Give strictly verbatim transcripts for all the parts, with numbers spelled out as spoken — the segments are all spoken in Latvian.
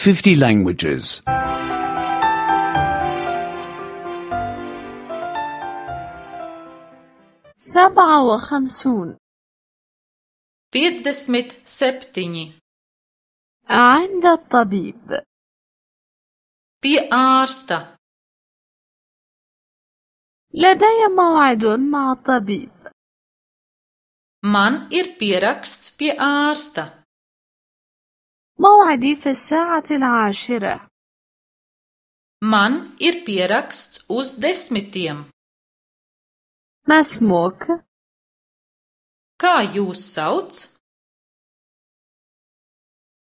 fifty languages. سبعة وخمسون. piecdesmit septiņi. عند الطبيب. Pie ārsta. لدي موعد مع الطبيب. Man ir pieraksts pie ārsta. موعدي في الساعة العاشرة. Man ir pieraksts uz desmitiem. ما اسمك؟ Kā jūs sauc?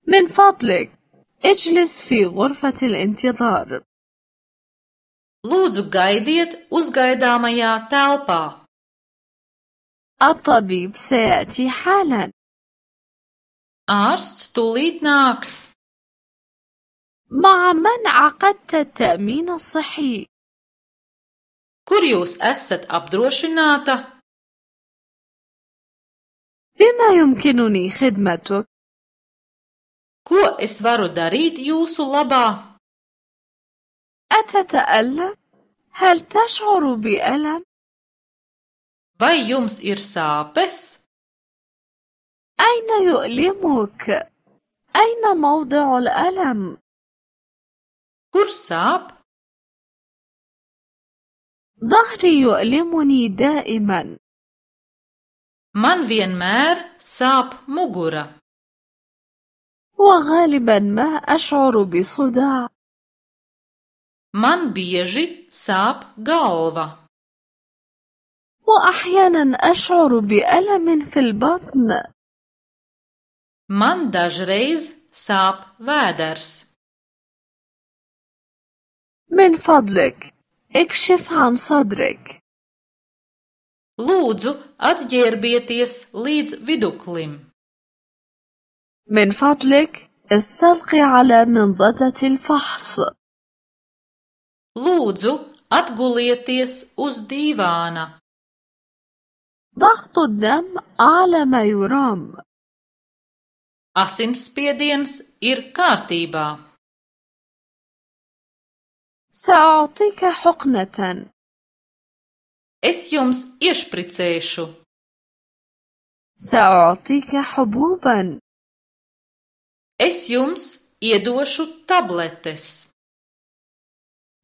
من فضلك اجلس في غرفة الانتظار. Lūdzu, gaidiet uzgaidāmajā telpā. الطبيب سيأتي حالا. Ārsts tūlīt nāks. مع من عقدت التأمين الصحي؟ Kur jūs esat apdrošināta? بما يمكنني خدمتك؟ Ko es varu darīt jūsu labā? أتتألم؟ هل تشعر بألم؟ Vai jums ir sāpes? أين يؤلمك؟ أين موضع الألم؟ Kur sāp? ظهري يؤلمني دائما. Man vienmēr sāp mugura. وغالبا ما أشعر بصداع. Man bieži sāp galva. وأحيانا أشعر بألم في البطن. Man dažreiz sāp vēders. من فضلك اكشف عن صدرك. Lūdzu, atģērbieties līdz viduklim. من فضلك استلقي على منضدة الفحص. Lūdzu, atgulieties uz dīvāna. ضغط الدم أعلى ما يرام. Asinsspiediens ir kārtībā. سأعطيك حقنة. Es jums iešpricēšu. سأعطيك حبوبا. Es jums iedošu tabletes.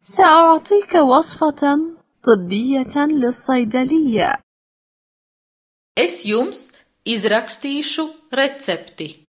سأعطيك وصفة طبية للصيدلية. Es jums izrakstīšu recepti.